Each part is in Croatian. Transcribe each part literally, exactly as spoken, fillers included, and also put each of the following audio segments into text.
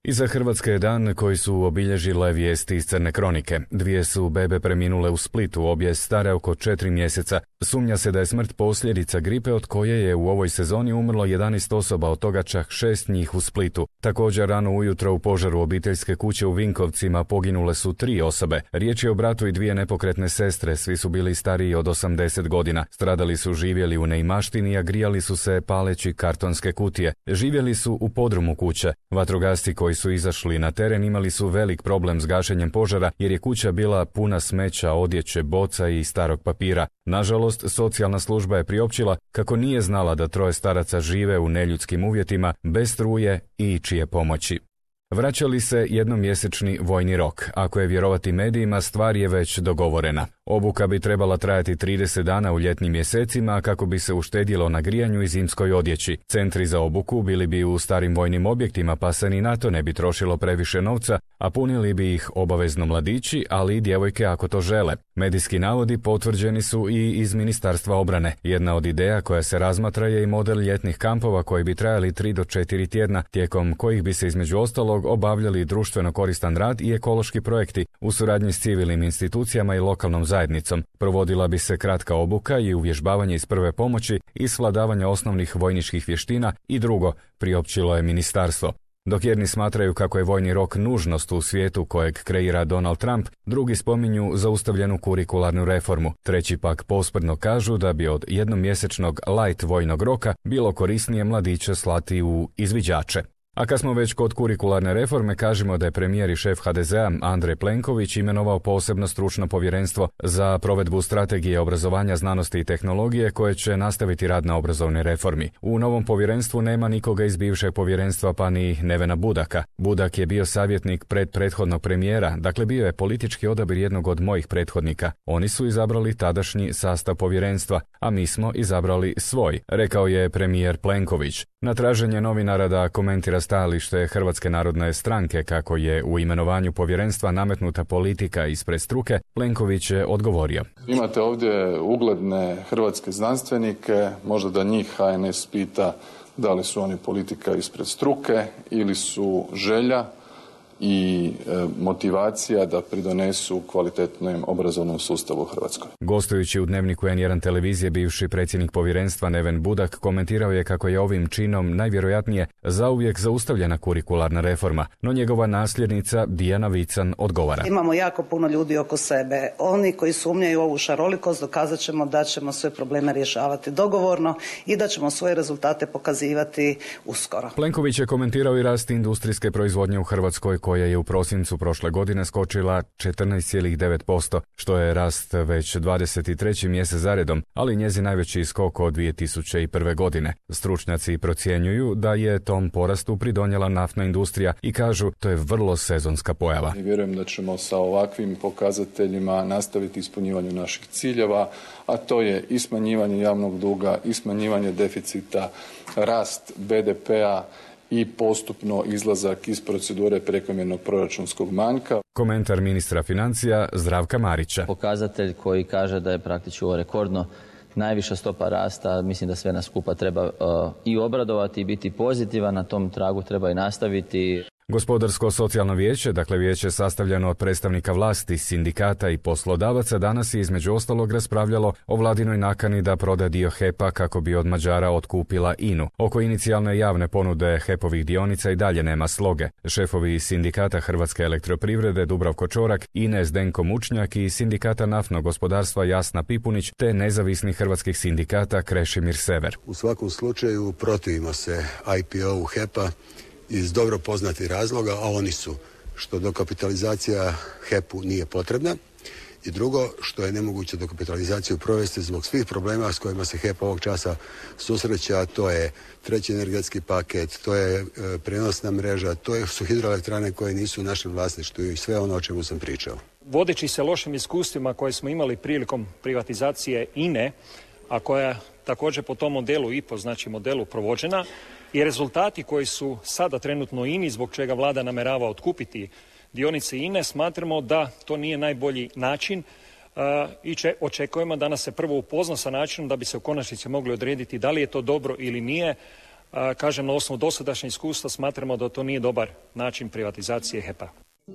Iza Hrvatske je dan koji su obilježile vijesti iz Crne kronike. Dvije su bebe preminule u Splitu, obje stare oko četiri mjeseca. Sumnja se da je smrt posljedica gripe od koje je u ovoj sezoni umrlo jedanaest osoba, od toga čak šest njih u Splitu. Također rano ujutro u požaru obiteljske kuće u Vinkovcima poginule su tri osobe. Riječ je o bratu i dvije nepokretne sestre, svi su bili stariji od osamdeset godina. Stradali su živjeli u neimaštini, a grijali su se paleći kartonske kutije. Živjeli su u podrumu kuće. Vatrogasci koji su izašli na teren imali su velik problem s gašenjem požara jer je kuća bila puna smeća, odjeće, boca i starog papira. Nažalost, socijalna služba je priopćila kako nije znala da troje staraca žive u neljudskim uvjetima, bez struje i čije pomoći. Vraća li se jednomjesečni vojni rok? Ako je vjerovati medijima, stvar je već dogovorena. Obuka bi trebala trajati trideset dana u ljetnim mjesecima kako bi se uštedjelo na grijanju i zimskoj odjeći. Centri za obuku bili bi u starim vojnim objektima, pa se ni na to ne bi trošilo previše novca, a punili bi ih obavezno mladići, ali i djevojke ako to žele. Medijski navodi potvrđeni su i iz Ministarstva obrane. Jedna od ideja koja se razmatra je i model ljetnih kampova koji bi trajali tri do četiri tjedna, tijekom kojih bi se između ostalog obavljali društveno koristan rad i ekološki projekti u suradnji s civilnim institucijama i lokalnom zajednicom. Provodila bi se kratka obuka i uvježbavanje iz prve pomoći i svladavanja osnovnih vojničkih vještina i drugo, priopćilo je ministarstvo. Dok jedni smatraju kako je vojni rok nužnost u svijetu kojeg kreira Donald Trump, drugi spominju zaustavljenu kurikularnu reformu. Treći pak posprdno kažu da bi od jednomjesečnog light vojnog roka bilo korisnije mladiće slati u izviđače. A kad smo već kod kurikularne reforme, kažemo da je premijer i šef ha de zea Andrej Plenković imenovao posebno stručno povjerenstvo za provedbu strategije obrazovanja, znanosti i tehnologije koje će nastaviti rad na obrazovnoj reformi. U novom povjerenstvu nema nikoga iz bivšeg povjerenstva, pa ni Nevena Budaka. Budak je bio savjetnik pred prethodnog premijera, dakle bio je politički odabir jednog od mojih prethodnika. Oni su izabrali tadašnji sastav povjerenstva, a mi smo izabrali svoj, rekao je premijer Plenković. Na traženje novinara da komentira stajalište Hrvatske narodne stranke kako je u imenovanju povjerenstva nametnuta politika ispred struke, Plenković je odgovorio. Imate ovdje ugledne hrvatske znanstvenike, možda da njih ha en es pita da li su oni politika ispred struke ili su želja i e, motivacija da pridonesu kvalitetnom obrazovnom sustavu u Hrvatskoj. Gostujući u Dnevniku en jedan televizije, bivši predsjednik povjerenstva Neven Budak komentirao je kako je ovim činom najvjerojatnije zauvijek zaustavljena kurikularna reforma, no njegova nasljednica Dijana Vican odgovara. Imamo jako puno ljudi oko sebe. Oni koji sumnjaju u ovu šarolikost dokazat ćemo da ćemo sve probleme rješavati dogovorno i da ćemo svoje rezultate pokazivati uskoro. Plenković je komentirao i rast industrijske proizvodnje u Hrvatskoj, koja je u prosincu prošle godine skočila četrnaest zarez devet posto, što je rast već dvadeset treći mjesec zaredom, ali njezin najveći skok od dvije tisuće prve. godine. Stručnjaci procjenjuju da je tom porastu pridonijela naftna industrija i kažu to je vrlo sezonska pojava. I vjerujem da ćemo sa ovakvim pokazateljima nastaviti ispunjivanju naših ciljeva, a to je i smanjivanje javnog duga, i smanjivanje deficita, rast be de pea, i postupno izlazak iz procedure prekomjernog proračunskog manjka. Komentar ministra financija Zdravka Marića. Pokazatelj koji kaže da je praktički ovo rekordno najviša stopa rasta, mislim da sve nas skupa treba uh, i obradovati i biti pozitivan, na tom tragu treba i nastaviti. Gospodarsko-socijalno vijeće, dakle vijeće sastavljeno od predstavnika vlasti, sindikata i poslodavaca, danas je između ostalog raspravljalo o vladinoj nakani da proda dio he pa kako bi od Mađara otkupila inu. Oko inicijalne javne ponude hepovih dionica i dalje nema sloge. Šefovi sindikata Hrvatske elektroprivrede Dubravko Čorak, ine Zdenko Mučnjak i sindikata naftnog gospodarstva Jasna Pipunić te nezavisnih hrvatskih sindikata Krešimir Sever. U svakom slučaju protivimo se i pe o-u he pa iz dobro poznatih razloga, a oni su što dokapitalizacija he pu nije potrebna i drugo što je nemoguće dokapitalizaciju provesti zbog svih problema s kojima se he pa ovog časa susreće, a to je treći energetski paket, to je e, prenosna mreža, to je, su hidroelektrane koje nisu u našem vlasništvu i sve ono o čemu sam pričao. Vodeći se lošim iskustvima koje smo imali prilikom privatizacije ine, a koja također po tom modelu i po znači modelu provođena, i rezultati koji su sada trenutno ini, zbog čega vlada namjerava otkupiti dionice ine, smatramo da to nije najbolji način uh, i če, očekujemo da nas se prvo upozna sa načinom da bi se u konačnici mogli odrediti da li je to dobro ili nije, Kažem, na osnovu dosadašnjeg iskustva smatramo da to nije dobar način privatizacije H E P-a.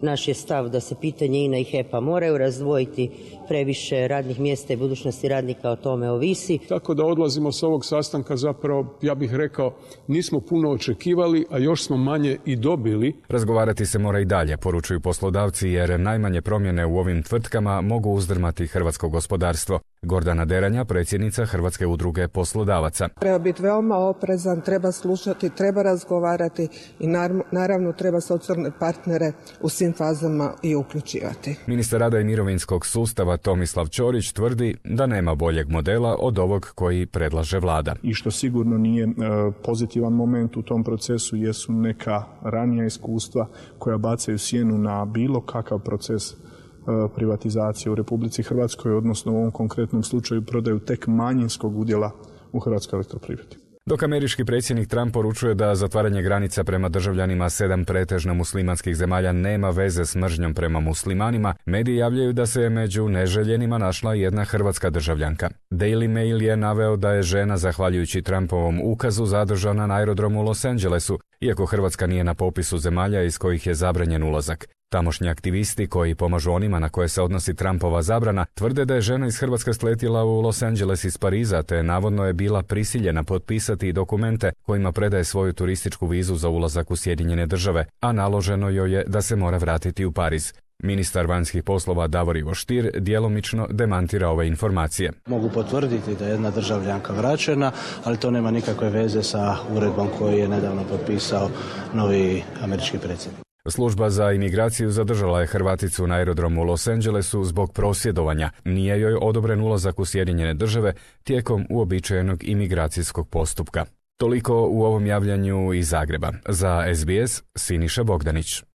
Naš je stav da se pitanje I N A I H E P-a moraju razdvojiti, previše radnih mjesta i budućnosti radnika o tome ovisi. Tako da odlazimo s ovog sastanka zapravo, ja bih rekao, nismo puno očekivali, a još smo manje i dobili. Razgovarati se mora i dalje, poručuju poslodavci, jer najmanje promjene u ovim tvrtkama mogu uzdrmati hrvatsko gospodarstvo. Gordana Deranja, predsjednica Hrvatske udruge poslodavaca. Treba biti veoma oprezan, treba slušati, treba razgovarati i naravno treba socijalne partnere u svim fazama i uključivati. Ministar rada i mirovinskog sustava Tomislav Ćorić tvrdi da nema boljeg modela od ovog koji predlaže vlada. I što sigurno nije e, pozitivan moment u tom procesu jesu neka ranija iskustva koja bacaju sjenu na bilo kakav proces privatizacije u Republici Hrvatskoj, odnosno u ovom konkretnom slučaju prodaju tek manjinskog udjela u Hrvatskoj elektroprivredi. Dok američki predsjednik Trump poručuje da zatvaranje granica prema državljanima sedam pretežno muslimanskih zemalja nema veze s mržnjom prema muslimanima, mediji javljaju da se među neželjenima našla jedna hrvatska državljanka. Daily Mail je naveo da je žena, zahvaljujući Trumpovom ukazu, zadržana na aerodromu u Los Angelesu, iako Hrvatska nije na popisu zemalja iz kojih je zabranjen ulazak. Tamošnji aktivisti koji pomažu onima na koje se odnosi Trumpova zabrana tvrde da je žena iz Hrvatske sletjela u Los Angeles iz Pariza, te navodno je bila prisiljena potpisati dokumente kojima predaje svoju turističku vizu za ulazak u Sjedinjene države, a naloženo joj je da se mora vratiti u Pariz. Ministar vanjskih poslova Davor Ivo Stier djelomično demantira ove informacije. Mogu potvrditi da je jedna državljanka vraćena, ali to nema nikakve veze sa uredbom koju je nedavno potpisao novi američki predsjednik. Služba za imigraciju zadržala je Hrvaticu na aerodromu u Los Angelesu zbog prosvjedovanja. Nije joj odobren ulazak u Sjedinjene države tijekom uobičajenog imigracijskog postupka. Toliko u ovom javljanju iz Zagreba. Za S B S, Siniša Bogdanić.